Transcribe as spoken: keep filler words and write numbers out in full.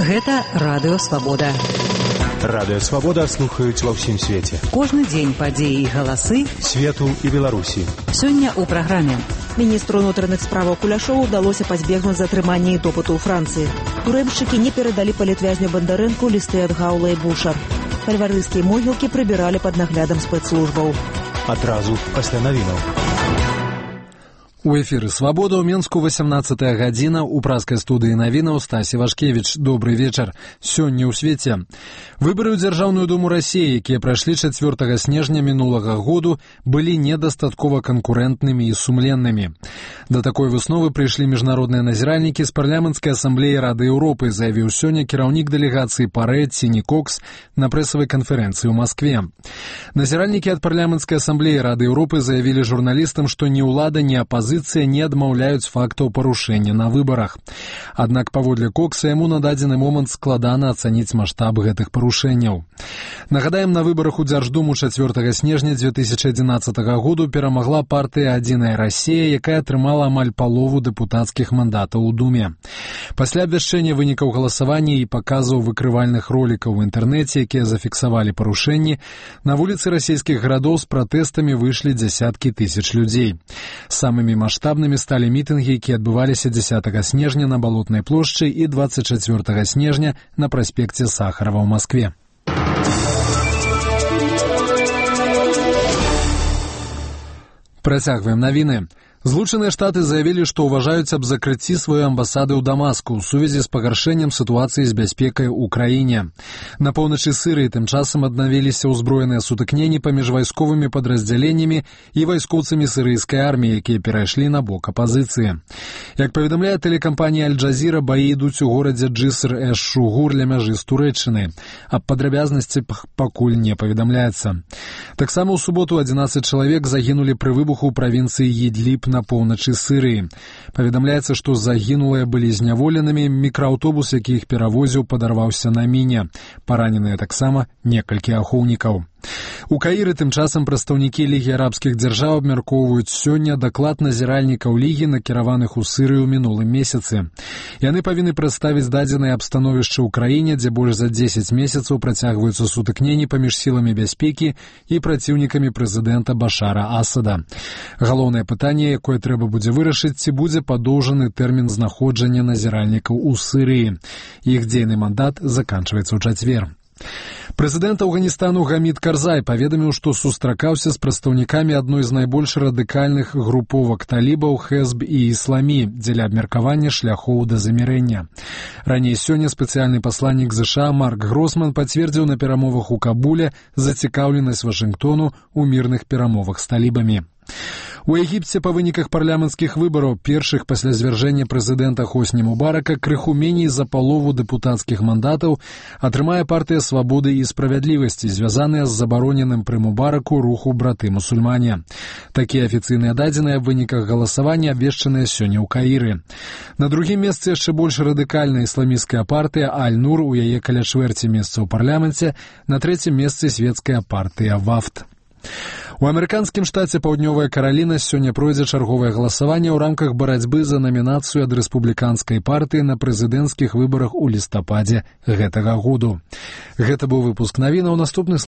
Гэта Радыё Свабода. Радыё Свабода слухаюць ва ўсім свеце. Кожны дзень падзеі і галасы свету і Беларусі. Сёння ў праграме. Міністру ўнутраных справаў Куляшову ўдалося пазбегнуць затрымання і допыту ў Францыі. Турэмшчыкі не перадалі палітвязню Бандарэнку лісты ад Гаула і Буша. Фальварыйскія могілкі прыбіралі пад наглядам спецслужбаў. Адразу пасля навінаў. У эфіры «Свабода» ў Менску васямнаццатая гадзіна, у праскай студыі навінаў Стасі Вашкевіч. Добры вечар. Сёння ў свеце. Выбары ў Дзяржаўную думу Расіі, якія прайшлі чацвёртага снежня мінулага году, былі недастаткова канкурэнтнымі і сумленнымі. Да такой высновы прыйшлі міжнародныя назіральнікі з парламенцкай асамблеі Рады Еўропы, заявіў сёння кіраўнік дэлегацыі Парэд Сіні Кокс на прэсавай канферэнцыі ў Маскве. Назіральнікі ад парламенцкай асамблеі Рады Еўропы заявілі журналістам, што ні ўлада, ні апазіцыя не адмаўляюць фактаў парушэння на выбарах. Аднак, паводле Кокса, яму на дадзены момант складана ацаніць маштаб гэтых парушэнняў. Нагадаем, на выбарах у Дзярждуму чацвёртага снежня дзве тысячы адзінаццатага году перамагла партыя «Адзіная Расія», якая атрымала амаль палову дэпутацкіх мандатаў у Думе. Пасля абвяшчэння вынікаў галасавання і паказаў выкрывальных ролікаў у інтэрнэце, якія зафіксавалі парушэнні, на вуліцы расійскіх гарадоў з пратэстамі выйшлі дзясяткі тысяч людзей. Самымі маштабнымі сталі мітынгі, якія адбываліся дзесятага снежня на Балотнай плошчы і дваццаць чацвёртага снежня на праспекце Сахарова ў Маскве. Працягваем навіны. Злучаныя Штаты заявілі, што ўважаюць аб закрыцці сваёй амбасады ў Дамаску ў сувязі з пагаршэннем сітуацыі з бяспекай у краіне. На поўначы Сірыі тым часам аднавіліся ўзброеныя сутыкненні паміж вайсковымі падраздзяленнямі і вайскоўцамі сірыйскай арміі, якія перайшлі на бок апазіцыі. Як паведамляе тэлекампанія Аль-Джазіра, баі ідуць у горадзе Джыср-эш-Шугур ля мяжы з Турэччынай. Аб падрабязнасці пакуль не паведамляецца. Таксама ў суботу адзінаццаць чалавек загінулі пры выбуху ў правінцыі Ідліб на поўначы Сырыі. Паведамляецца, што загінулыя былі зняволенымі, мікрааўтобус, які іх перавозіў, падарваўся на міне. Параненыя таксама некалькі ахоўнікаў. У Каіры тым часам прадстаўнікі Лігі арабскіх дзяржаў абмяркоўваюць сёння даклад назіральнікаў Лігі, накіраваных у Сырыю ў мінулым месяцы. Яны павінны прадставіць дадзенае аб становішчы ў краіне, дзе больш за дзесяць месяцаў працягваюцца сутыкненні паміж сіламі бяспекі і праціўнікамі прэзідэнта Башара Асада. Галоўнае пытанне, якое трэба будзе вырашыць, ці будзе падоўжаны тэрмін знаходжання назіральнікаў у Сырыі. Іх дзейны мандат заканчваецца ў чацвер. Прэзідэнт Афганістану Гамід Карзай паведаміў, што сустракаўся з прадстаўнікамі адной з найбольш радыкальных груповак талібаў Хэзб і Ісламі дзеля абмеркавання шляхоў да замірэння. Раней сёння спецыяльны пасланнік ЗША Марк Гросман пацвердзіў на перамовах у Кабуле зацікаўленасць Вашынгтону ў мірных перамовах з талібамі. У Егіпце па выніках парламенцкіх выбараў, першых пасля звяржэння прэзідэнта Хосні Мубарака, крыху меней за палову дэпутацкіх мандатаў атрымае партыя «Свабоды і справядлівасці», звязаная з забароненым пры Мубараку руху браты-мусульмане. Такія афіцыйныя дадзеныя аб выніках галасавання абвешчаныя сёння ў Каіры. На другім месцы яшчэ больш радыкальная ісламісцкая партыя «Аль-Нур», у яе каля чвэрці месца ў парламенце, на трэцім месцы свецкая партыя «Вафд». У амерыканскім штаце Паўднёвая Караліна сёння пройдзе чарговае галасаванне ў рамках барацьбы за намінацыю ад рэспубліканскай партыі на прэзідэнцкіх выбарах у лістападзе гэтага году. Гэта быў выпуск навінаў. Наступны